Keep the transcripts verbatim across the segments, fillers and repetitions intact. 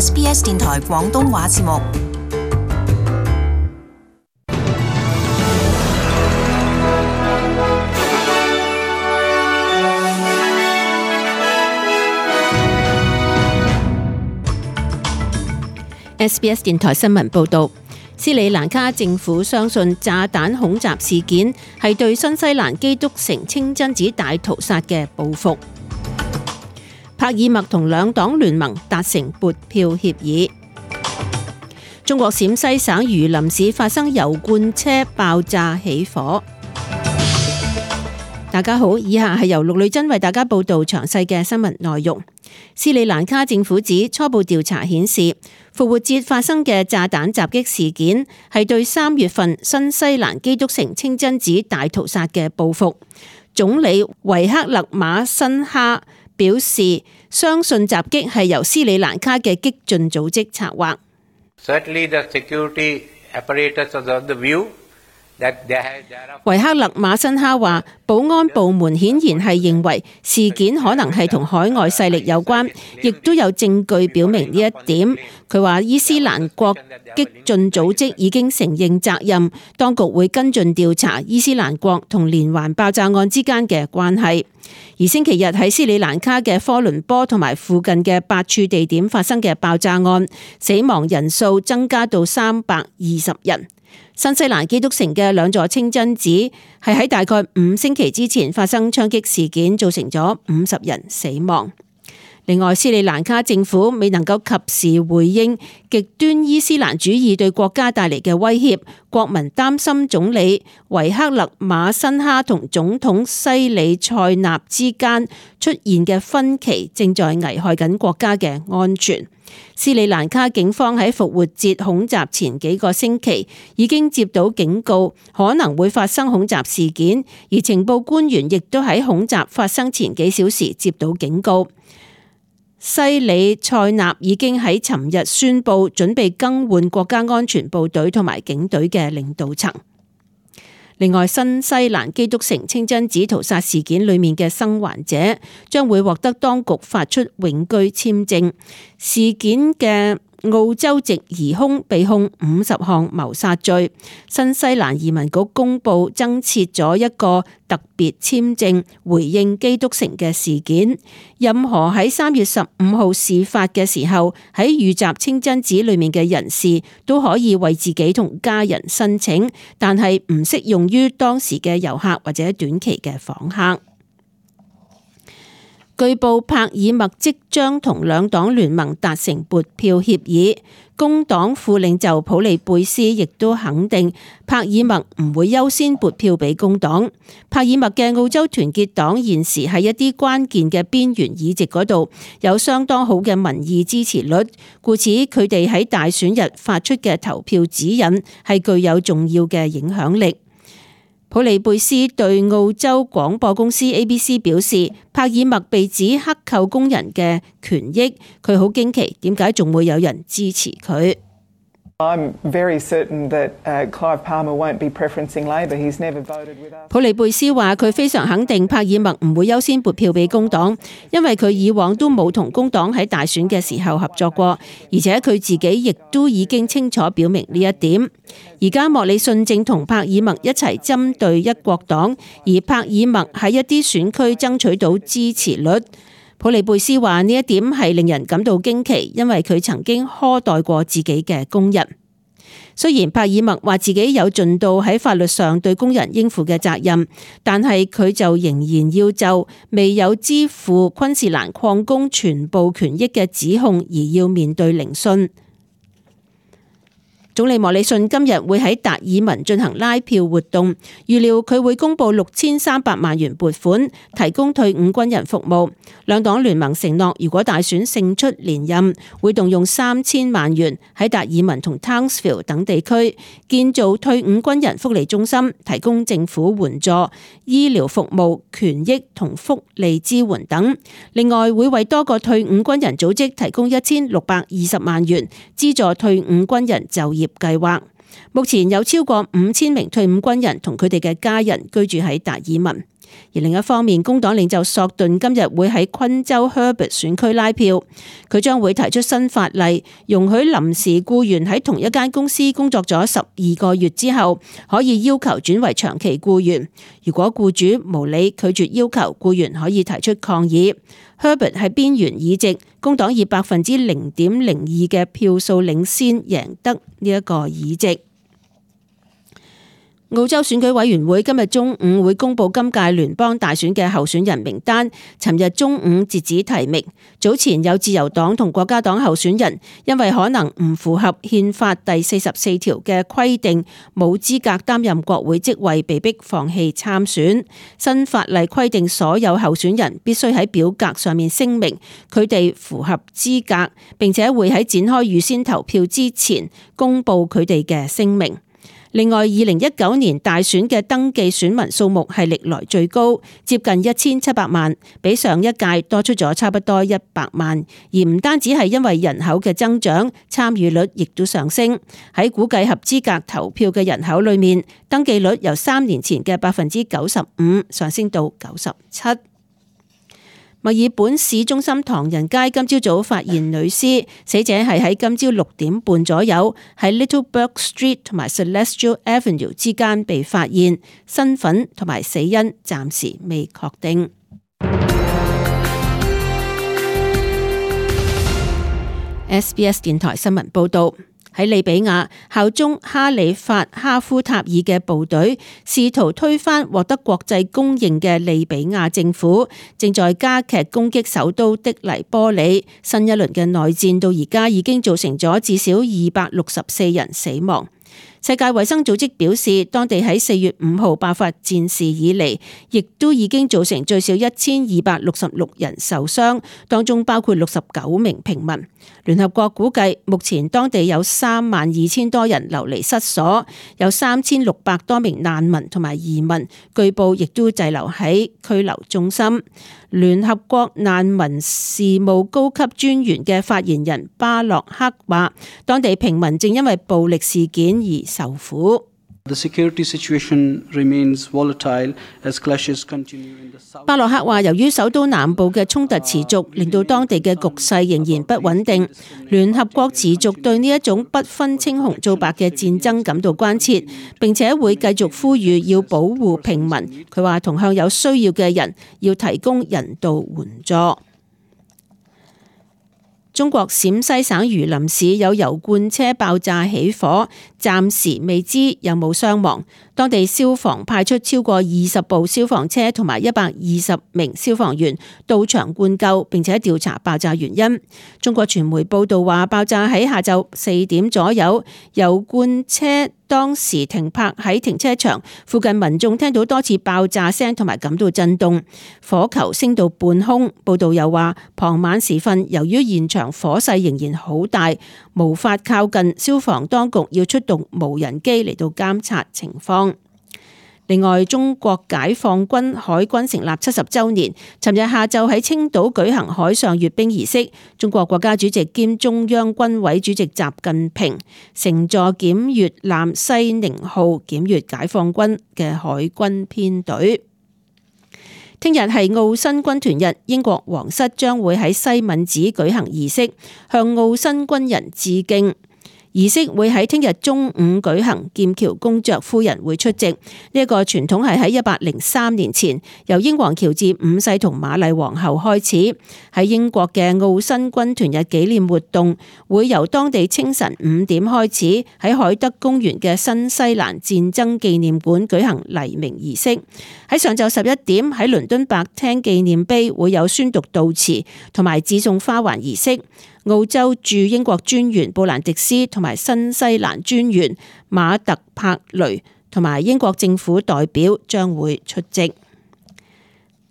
S B S 電台廣東話節目。S B S 電台新聞報導，斯里蘭卡政府相信炸彈恐襲事件係對新西蘭基督城清真寺大屠殺嘅報復。帕爾默同兩黨聯盟達成撥票協議。中國陝西省榆林市發生油罐車爆炸起火。大家好，以下係由陸女真為大家報道詳細嘅新聞內容。斯里蘭卡政府指初步調查顯示，復活節發生嘅炸彈襲擊事件係對三月份新西蘭基督城清真寺大屠殺嘅報復。總理維克勒馬辛哈表示，相信襲擊係由斯里蘭卡嘅激進組織策劃。Certainly the security apparatus was of the view that there had there are 維克勒馬辛哈話，保安部門顯然係認為事件可能係同海外勢力有關，亦都有證據表明呢一點。佢話伊斯蘭國激進組織已經承認責任，當局會跟進調查伊斯蘭國同連環爆炸案之間嘅關係。而星期日喺斯里蘭卡嘅科倫坡同埋附近嘅八處地點發生嘅爆炸案，死亡人數增加到三百二十人。新西蘭基督城嘅兩座清真寺係喺大概五星期之前發生槍擊事件，造成咗五十人死亡。另外，斯里蘭卡政府未能夠及時回應極端伊斯蘭主義對國家帶嚟嘅威脅，國民擔心總理維克勒馬辛哈同總統西里塞納之間出現嘅分歧正在危害緊國家嘅安全。斯里蘭卡警方喺復活節恐襲前幾個星期已經接到警告，可能會發生恐襲事件，而情報官員亦都喺恐襲發生前幾小時接到警告。西里塞納已經喺尋日宣布準備更換國家安全部隊同埋警隊嘅領導層。另外，新西蘭基督城清真寺屠殺事件裏面嘅生還者將會獲得當局發出永居簽證。事件嘅澳洲籍疑兇被控五十項謀殺罪。新西蘭移民局公布增設咗一個特別簽證，回應基督城嘅事件。任何喺三月十五號事發嘅時候喺遇襲清真寺裏面嘅人士都可以為自己同家人申請，但係唔適用於當時嘅遊客或者短期嘅訪客。據報帕爾默即將同兩黨聯盟達成撥票協議，工黨副領袖普利貝斯亦都肯定帕爾默唔會優先撥票俾工黨。帕爾默嘅澳洲團結黨現時喺一啲關鍵嘅邊緣議席嗰度有相當好嘅民意支持率，故此佢哋喺大選日發出嘅投票指引係具有重要嘅影響力。普利貝斯對澳洲廣播公司 A B C 表示，帕爾默被指克扣工人嘅權益，佢好驚奇點解仲會有人支持佢。I'm very certain that Clive Palmer won't be preferencing Labor. He's never voted with us. 普利貝斯話佢非常肯定帕爾默唔會優先撥票俾工黨，因為佢以往都冇同工黨喺大選嘅時候合作過，而且佢自己亦都已經清楚表明呢一點。而家莫里遜正同帕爾默一齊針對一國黨，而帕爾默喺一啲選區爭取到支持率。普利貝斯話呢一點係令人感到驚奇，因為佢曾經苛待過自己嘅工人。雖然帕爾默話自己有盡到喺法律上對工人應負嘅責任，但係佢就仍然要就未有支付昆士蘭礦工全部權益嘅指控而要面對聆訊。總理莫里遜今日會喺達爾文進行拉票活動，預料佢會公布六千三百萬元撥款，提供退伍軍人服務。兩黨聯盟承諾，如果大選勝出連任，會動用三千萬元喺達爾文同 Townsville 等地區建造退伍軍人福利中心，提供政府援助、醫療服務、權益同福利支援等。另外，會為多個退伍軍人組織提供一千六百二十萬元，資助退伍軍人就業計劃。目前有超過五千名退伍軍人同佢哋嘅家人居住喺達爾文。而另一方面，工黨領袖索頓今日會喺昆州 Herbert 選區拉票，佢將會提出新法例，容許臨時僱員喺同一間公司工作咗十二個月之後，可以要求轉為長期僱員。如果僱主無理拒絕要求，僱員可以提出抗議。Herbert 係邊緣議席，工黨以百分之零點零二嘅票數領先贏得呢一個議席。澳洲選舉委員會今日中午會公布今屆聯邦大選嘅候選人名單，尋日中午截止提名。早前有自由黨同國家黨候選人因為可能唔符合憲法第四十四條嘅規定，冇資格擔任國會職位，被迫放棄參選。新法例規定所有候選人必須喺表格上面聲明佢哋符合資格，並且會喺展開預先投票之前公布佢哋嘅聲明。另外，二零一九年大選嘅登記選民數目係歷來最高，接近一千七百萬，比上一屆多出咗差不多一百萬。而唔單止係因為人口嘅增長，參與率亦都上升。喺估計合資格投票嘅人口裏面，登記率由三年前嘅百分之九十五上升到九十七。墨爾本市中心唐人街今朝早發現女屍，死者係喺今朝六點半左右喺 Little Bourke Street 同埋 Celestial Avenue 之間被發現，身份同埋死因暫時未確定。S B S 電台新聞報道。喺利比亞，效忠哈里發哈夫塔爾嘅部隊試圖推翻獲得國際公認嘅利比亞政府，正在加劇攻擊首都的黎波里。新一輪嘅內戰到而家已經造成咗至少二百六十四人死亡。世界衛生組織表示，當地喺四月五號爆發戰事以嚟，亦都已經造成最少一千二百六十六人受傷，當中包括六十九名平民。聯合國估計，目前當地有三萬二千多人流離失所，有三千六百多名難民同埋移民，據報亦都滯留喺拘留中心。聯合國難民事務高級專員嘅發言人巴洛克話，當地平民正因為暴力事件而受苦。巴洛克話，由於首都南部嘅衝突持續，令到當地嘅局勢仍然不穩定。聯合國持續對呢一種不分青紅皂白嘅戰爭感到關切，並且會繼續呼籲要保護平民。佢話，同向有需要嘅人要提供人道援助。中國陝西省榆林市有油罐車爆炸起火，暫時未知有冇傷亡。當地消防派出超過二十部消防車同埋一百二十名消防員到場灌救，並且調查爆炸原因。中國傳媒報道話，爆炸喺下晝四點左右，油罐車當時停泊喺停車場附近，民眾聽到多次爆炸聲同埋感到震動，火球升到半空。報道又話，傍晚時分，由於現場火勢仍然好大，無法靠近，消防當局要出動無人機嚟到監察情況。另外，中國解放軍海軍成立七十週年，尋日下晝喺青島舉行海上閱兵儀式。中國國家主席兼中央軍委主席習近平乘坐檢閱艦西寧號檢閱解放軍嘅海軍編隊。聽日係澳新軍團日，英國皇室將會喺西敏寺舉行儀式，向澳新軍人致敬。儀式會喺聽日中午舉行，劍橋公爵夫人會出席。呢一個傳統係喺一百零三年前由英皇喬治五世同瑪麗皇后開始。喺英國嘅澳新軍團日紀念活動會由當地清晨五點開始，喺海德公園嘅新西蘭戰爭紀念館舉行黎明儀式。喺上晝十一點喺倫敦白廳紀念碑會有宣讀悼詞同埋致送花環儀式。澳洲駐英國專員布蘭迪斯同埋新西蘭專員馬特柏雷同埋英國政府代表將會出席。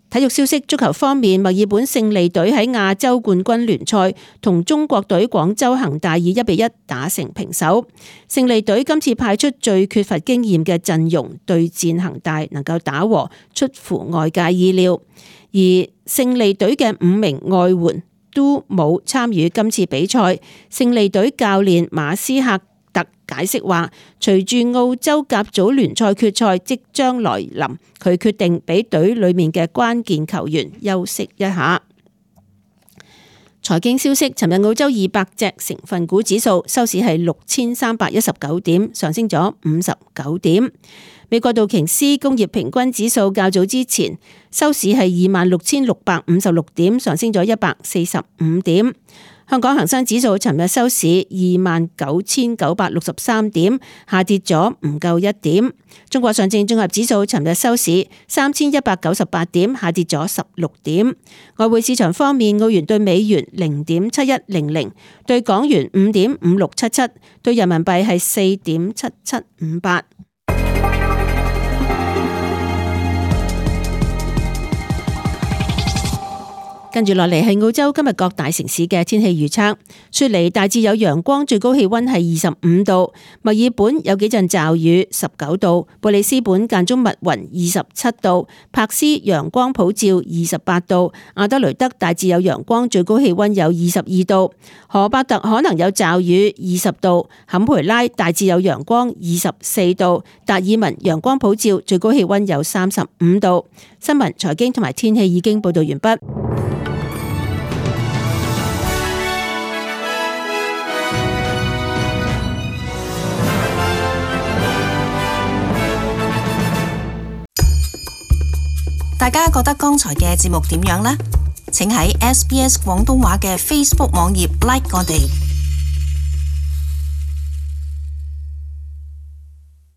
體育消息，足球方面，墨爾本勝利隊喺亞洲冠軍聯賽同中國隊廣州恒大以一比一打成平手。勝利隊今次派出最缺乏經驗嘅陣容對戰恒大，能夠打和，出乎外界意料。而勝利隊嘅五名外援都冇參與今次比賽，勝利隊教練馬斯克特解釋話，隨住澳洲甲組聯賽決賽即將來臨，佢決定俾隊裡面嘅關鍵球員休息一下。財經消息，尋日澳洲二百隻成分股指數收市係六千三百一十九點，上升咗五十九點。美國道瓊斯工業平均指數較早之前收市係二萬六千六百五十六點，上升咗一百四十五點。香港恒生指數尋日收市二萬九千九百六十三點，下跌咗唔夠一點。中國上證綜合指數尋日收市三千一百九十八點，下跌咗十六點。外匯市場方面，澳元對美元零點七一零零，對港元五點五六七七，對人民幣係四點七七五八。跟住落嚟係澳洲今日各大城市嘅天氣預測。雪梨大致有陽光，最高氣溫係二十五度；墨爾本有幾陣驟雨，十九度；布里斯本間中密雲，二十七度；柏斯陽光普照，二十八度；阿德雷德大致有陽光，最高氣溫有二十二度；荷伯特可能有驟雨，二十度；坎培拉大致有陽光，二十四度；達爾文陽光普照，最高氣溫有三十五度。新聞、財經同埋天氣已經報道完畢。大家覺得剛才嘅節目點樣呢？請喺 S B S 廣東話嘅 Facebook 網頁 like 我哋。